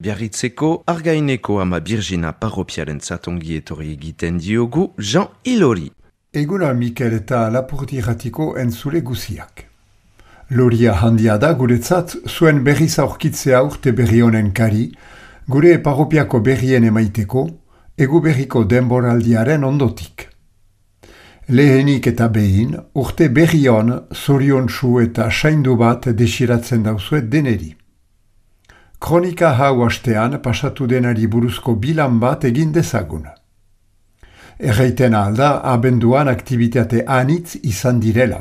Biarritzeko Argaineko ama Birgina parropiarentzat ongi etorri egiten diogu Jean Ilori. Eguna Mikel eta Lapurdi-ratiko entzule guziak. Loria handia da guretzat zuen berriz aurkitzea urte berri honen kari, gure parropiako berrien emaiteko, egu berriko denboraldiaren ondotik. Lehenik eta behin, urte berri hon, zoriontsu eta saindu bat desiratzen dauzuet deneri. Kronika hau hastean pasatu denari buruzko bilan bat egin dezagun. Erraiten alda, abenduan aktivitate anitz izan direla.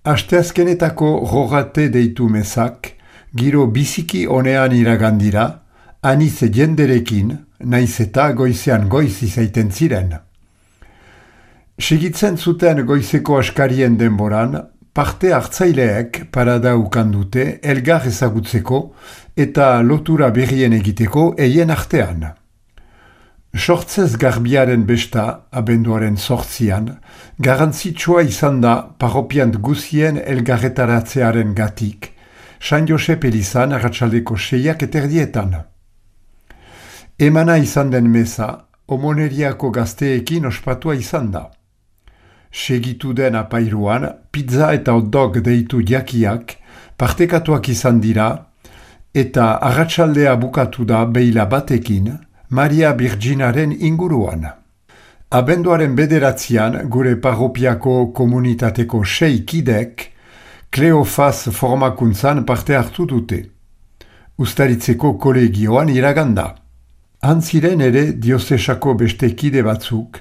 Asteazkenetako rogate deitu mezak, giro biziki onean iragandira, anitz jenderekin, naiz eta goizean goiz izaiten ziren. Segitzen zuten goizeko askarien denboran, parte hartzaileek parada ukandute elgar ezagutzeko eta lotura berrien egiteko eien artean. Sortzez garbiaren besta, abenduaren 8an, garantzitsua izan da parropiant guzien elgarretaratzearen gatik, San Josep elizan arratsaldeko 6:00 Emana izan den meza, Omoneriako gazteekin ospatua izan da. Segitu den apairuan, pizza eta hotdog deitu jakiak, partekatuak izan dira, eta arratsaldea bukatu da beila batekin, Maria Birginaren inguruan. Abenduaren 9 gure parropiako komunitateko 6 kidek, Kleofaz formakuntzan parte hartu dute. Ustaritzeko kolegioan iraganda. Antziren ere diozesako beste kide batzuk,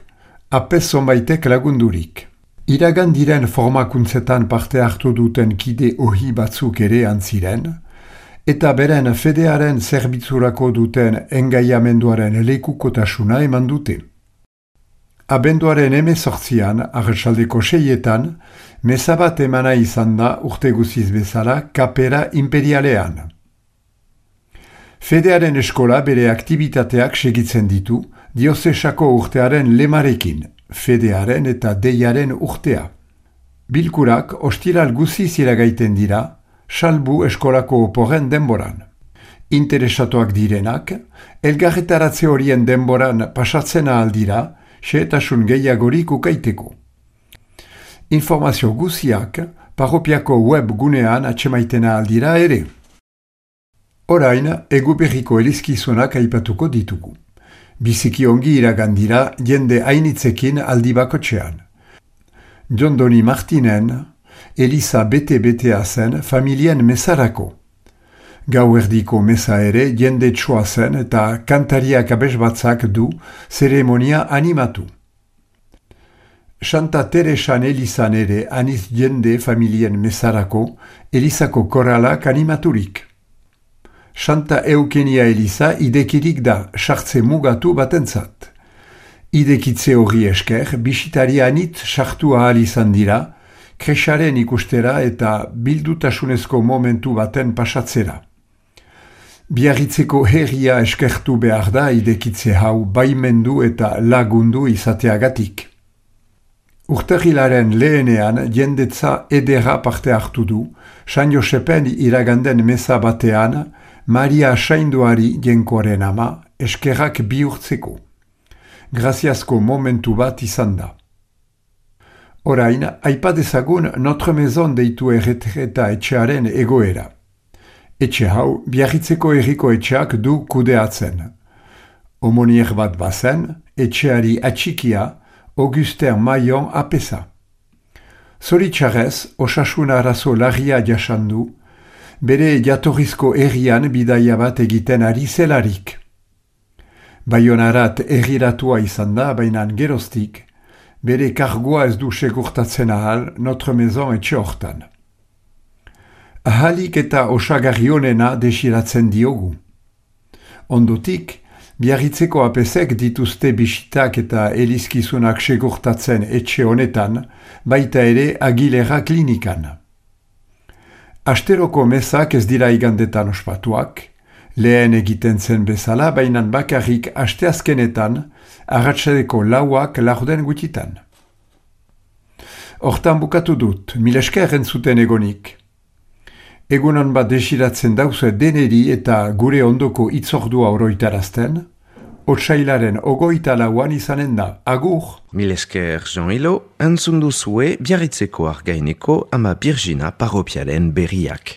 apez zonbaitek lagundurik. Iragandiren formakuntzetan parte hartu duten kide ohi batzuk ere antziren, eta beren fedearen zerbitzurako duten engaiamenduaren lekukotasuna eman dute. Abenduaren 18an, arratsaldeko 6etan, meza bat emana izan da urte guziz bezala kapera imperialean. Fedearen eskola bere aktivitateak segitzen ditu, diozesako urtearen lemarekin, fedearen eta deiaren urtea. Bilkurak ostiral guziz iragaiten dira, salbu eskolako oporren denboran. Interesatuak direnak, elgarretaratze horien denboran pasatzen ahaldira, xehetasun gehiagorik ukaiteko. Informazio guziak parropiako web gunean atsemaiten ahaldira ere. Orain, egu berriko elizkizunak aipatuko ditugu. Biziki ongi iragandira jende hainitzekin aldi bakotxean. Jondoni Martinen, Eliza bete-betea zen familien mesarako. Gauerdiko mesa ere jende txoa zen eta kantariak abesbatzak du zeremonia animatu. Santa Teresan Elizan ere aniz jende familien mesarako Elizako koralak animaturik. Santa Eukenia Eliza idekirik da sartze mugatu batentzat. Idekitze horri esker bisitari anit sartu ahal izan dira, kresaren ikustera eta bildutasunezko momentu baten pasatzera. Biarritzeko herria eskertu behar da idekitze hau baimendu eta lagundu izateagatik. Urtarrilaren lehenean jendetza edera parte hartu du, San Josepen iraganden meza batean, Maria Sainduari jenkoaren ama eskerrak bihurtzeko. Graziazko momentu bat izan da. Orain, aipadezagun Notre Maison deitu erretreta etxearen egoera. Etxe hau, Biarritzeko herriko etxeak du kudeatzen. Omonier bat bazen, etxeari atxikia, Augustin Maillon apesa. Zoritxarrez, osasun arazo larria jasandu, bere jatorrizko herrian bidaia bat egiten ari zelarik. Baionarat herriratua izan da, bainan geroztik, bere kargoa ez du segurtatzen ahal Notre Maison etxe hortan. Ahalik eta osagarri honena desiratzen diogu. Ondotik, Biarritzeko apesek dituzte bisitak eta elizkizunak segurtatzen etxe honetan, baita ere Agilera klinikan. Asteroko mezak ez dira igandetan ospatuak, lehen egiten zen bezala, bainan bakarrik asteazkenetan, arratsadeko 4 laurden gutitan. Hortan bukatu dut, mil esker entzuten egonik. Egunon bat desiratzen dauze deneri eta gure ondoko itzordua oroitarazten, otsailaren 24 izanen da. Agur! Mil esker Jean Hilo, entzun duzue Biarritzeko Argaineko ama Birjina parropiaren berriak.